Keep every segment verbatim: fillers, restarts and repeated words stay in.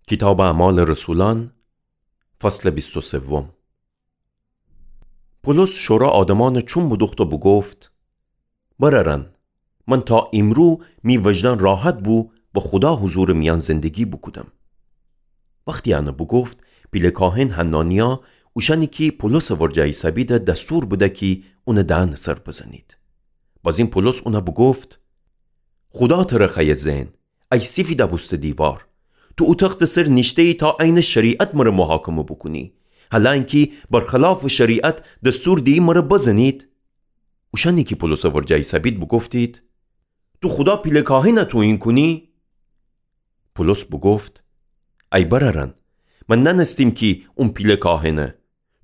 کیتابٚ اعمالٚ رسولأن، فصلٚ بیست و سوم. پولس شورا آدمأنَ چوم بودوخت و بوگفت: برأرأن، من تا ایمرو می وجدان راحت بو و خودا حضورٚ میأن زندگی بوکودم. وختی انَ بوگفت، پیله کاهن حنانیا، اوشأنی کی پولسٚ ورجه ایسهبید دستور بده کی اونٚ دهنٚ سر بزنید. بازین پولس اونَ بوگفت: خودا ترَ خوأیه زئن، ای سیفیدَ بوسته دیوار! تو او تختٚ سر نیشته‌یی تا عینٚ شریعت مرَ محاکمه بوکونی، هلأنکی برخلافٚ شریعت دستور دیی مرَ بزنید؟ اوشأنی کی پولسٚ ورجه ایسهبید بوگفتید: تو خودا پیله کاهنَ توهین کونی؟ پولس بوگفت: ای برأرأن، من نأنستیم کی اون پیله کاهنه،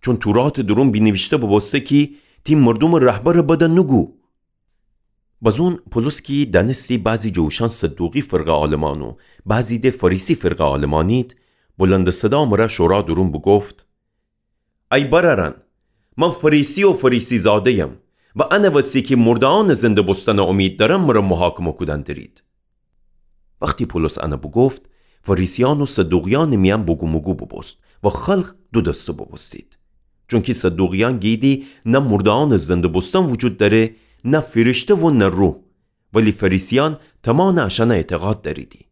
چون توراتٚ دورون بینیویشته بوبوسته کی تی مردومٚ رهبرٚ بدَ نوگو. بازون پولس کی دأنستی بعضی جٚه اوشأن صدوقی فرقه عالمأن و بعضی د فریسی فرقه عالمأنید، بلندٚ صدا مرَ شورا دورون بوگفت: ای برأرأن، من فریسی و فریسی زاده‌یم و انٚ وسی کی مرده‌یأنٚ زنده بوستنٚ امید دأرم مرَ محاکمه کودن درید. وختی پولس انَ بوگفت، فریسیأن و صدوقیأنٚ میأن بوگوموگو بوبوست و خلق دودسته بوبوستید. چونکی صدوقیأن گیدی نه مرده‌یأنٚ زنده بوستن وجود دأره، نه فیرشته و نه روح، ولی فریسیأن تمأنٚ اشأنَ اعتقاد دأریدی.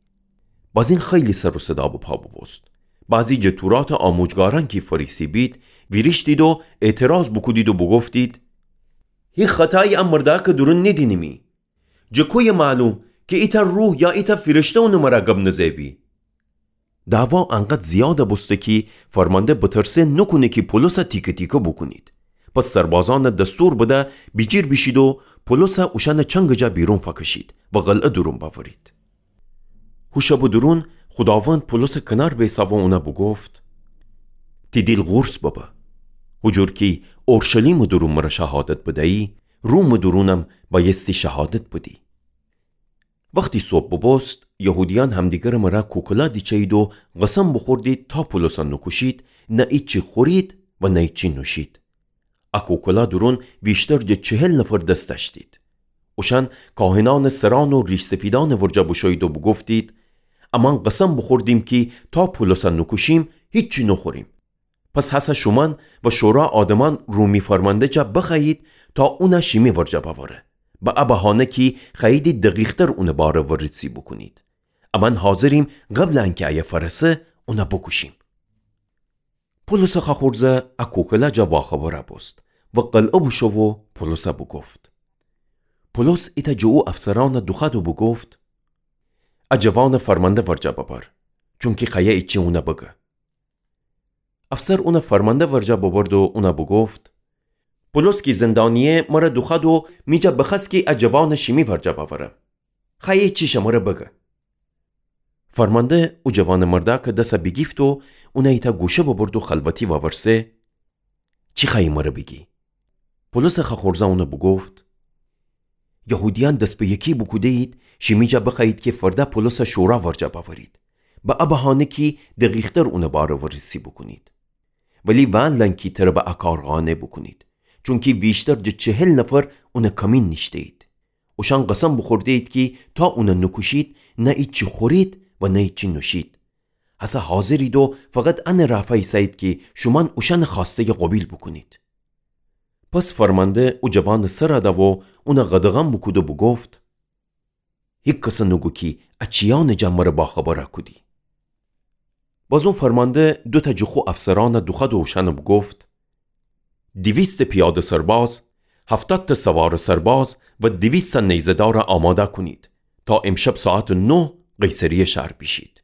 بازین خیلی سر و صدا بپا بوبوست. بعضی جٚه توراتٚ آموجگارأن کی فریسی بید، ویریشتید و اعتراض بوکودید و بوگفتید: هی خطایی ا مردأکٚ دورون نیدینیمی. جٚه کویه معلوم کی ایتأ روح یا ایتأ فیرشته اونٚ مرأ گب نزه بی؟ دعوا انقدر زیادَ بوسته کی فرمانده بترسه نوکونه کی پولسَ تیکه تیکه بوکونید. پس سربازأنَ دستور بده بیجیر بیشید و پولسَ اوشأنٚ چنگٚ جا بیرون فأکشید و قلعه دورون بأورید. هو شبٚ دورون خوداوند پولسٚ کنار بیسه و اونَ بوگفت: تی دیل قورص ببه. هو جور کی اورشلیمٚ دورون مرَ شهادت بدیی، رومٚ دورونم بأیستی شهادت بدی. وختی صبح بوبوست، یهودیأن همدیگرٚ مرأ کوکلا دیچه‌یید و قسم بوخوردید تا پولسَ نوکوشید، نه ایچی خورید و نه ایچی نوشید. ا کوکلا دورون ویشتر جٚه چهل نفر دس دأشتید. اوشأن کاهنأنٚ سرأن و ریش‌سفیدأنٚ ورجه بوشویید و بوگفتید: امأن قسم بوخوردیم کی تا پولسَ نوکوشیم، هیچی نوخوریم. پس هسه شومأن و شورا آدمأن رومی فرمانده جا بخوأیید تا اونَ شیمی ورجه بأوره. به ا بهانه کی خوأییدی دقیق‌تر اونٚ باره وررسی بوکونید. امأن حاضریم قبلٚ انکی ایه فأرسه، اونَ بوکوشیم. پولسٚ خأخورزه ا کوکلا جا واخبر بوست و قلعه بوشو و پولسَ بوگفت. پولس ایتأ جٚه او افسرأنَ دوخوأد و بوگفت: ا جوانَ فرمانده ورجه ببر، چونکی خوأیه ایچی اونَ بگه. افسر اونَ فرمانده ورجه ببرد و اونَ بوگفت: پولس کی زندانی‌یه مرَ دوخوأد و می جا بخوأست کی ا جوانَ شیمی ورجه بأورم. خوأیی چیشَ مرَ بگه. فرمانده او جوانٚ مردأکٚ دسَ بیگیفت و اونَ ایتأ گوشه ببرد و خلوتی وورسه: چی خوأیی مرَ بیگی؟ پولسٚ خأخورزه اونَ بوگفت: یهودیأن دس به یکی بوکوده‌یید شیمی جا بخوأیید کی فرده پولسَ شورا ورجه بأورید، به ا بهانه کی دقیق‌تر اونٚ باره وررسی بوکونید. ولی وأنلن کی تره به ا کار قانع بوکونید، چونکی ویشتر جٚه چهل نفر اونٚ کمین نیشته‌یید. اوشأن قسم بوخورده‌یید کی تا اونَ نوکوشید، نه ایچی خورید و نه ایچی نوشید. هسه حاضرید و فقط انٚ رأ فأیسه‌یید کی شومأن اوشأنٚ خوأسته‌یَ قوبیل بوکونید. پس فرمانده او جوانٚ سرَ ده و اونَ قدغن بوکود و بوگفت: هیکسَ نوگو کی ا چیأنٚ جا مرَ باخبر کودی. باز او فرمانده دوتأ جٚه خو افسرأنَ دوخوأد و اوشأنَ بوگفت: دیویست پیاده سرباز، هفتاد تأ سوارٚ سرباز و دیویست تأ نیزه‌دارَ آماده کونید تا امشب ساعتٚ نه قیصریه شهر بیشید.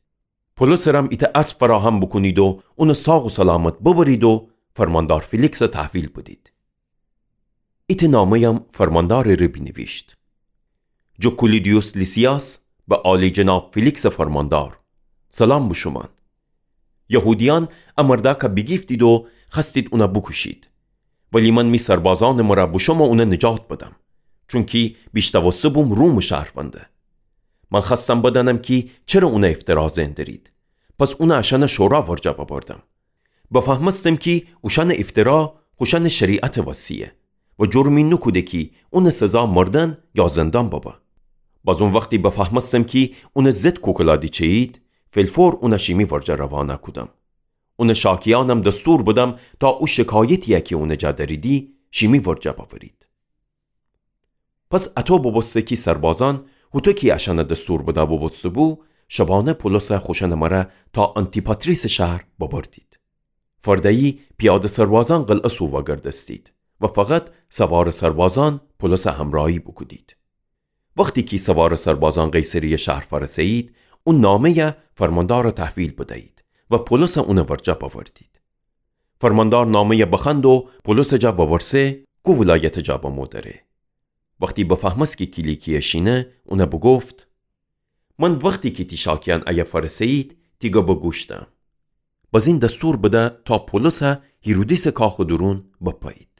پولسٚ رم ایتأ اسب فراهم بوکونید و اونَ ساق و سلامت ببرید و فرماندار فیلیکسَ تحویل بدید. ایتأ نامه‌یم فرماندارٚ ره بینیویشت: جٚه کولیدیوس لیسیاس، به عالی‌جناب فیلیکسٚ فرماندار، سلام به شومأن. یهودیأن ا مردأکَ بیگیفتید و خوأستید اونَ بوکوشید. ولی من می سربازأنٚ مرأ بوشوم اونَ نجات بدم، چونکی بیشتأوسته بوم رومٚ شهرونده. من خوأستم بدأنم کی چره اونَ افترا زئن درید. پس اونَ اشأنٚ شورا ورجه ببردم. بفهمستم کی اوشأنٚ افترا خوشأنٚ شریعتٚ وسیه و جرمی نوکوده کی اونٚ سزا مردن یا زندان ببه. باز او وختی بفهمستم کی اونٚ ضد کوکلا دیچه‌یید، فی‌الفور اونَ شیمی ورجه روانه کودم. اونٚ شاکیأنم دستور بدم تا او شکایتی‌یَ کی اونٚ جا دأریدی، شیمی ورجه بأورید. پس اطو بوبوسته کی سربازأن، هوطو کی اشأنَ دستور بده بوبوسته‌بو، شبانه پولسَ خوشأنٚ مره تا آنتی‌پاتریسٚ شهر ببردید. فرده‌یی پیاده سربازأن قلعه سو وأگردستید و فقط سوارٚ سربازأن پولسَ همرأیی بوکودید. وختی کی سوارٚ سربازأن قیصریه شهر فأرسه‌یید، او نامه‌یَ فرماندارَ تحویل بدیید و پولسَ اونٚ ورجه بأوردید. فرماندار نامه‌یَ بخوأند و پولسٚ جا وورسه کو ولایتٚ جا بمو دره. وختی بفهمست کی کیلیکیه شینه، اونَ بوگفت: من وختی کی تی شاکیأن ایه فأرسه‌یید، تی گبَ گوش دأم. بزین دستور بده تا پولسَ هیرودیسٚ کاخٚ دورون بپأیید.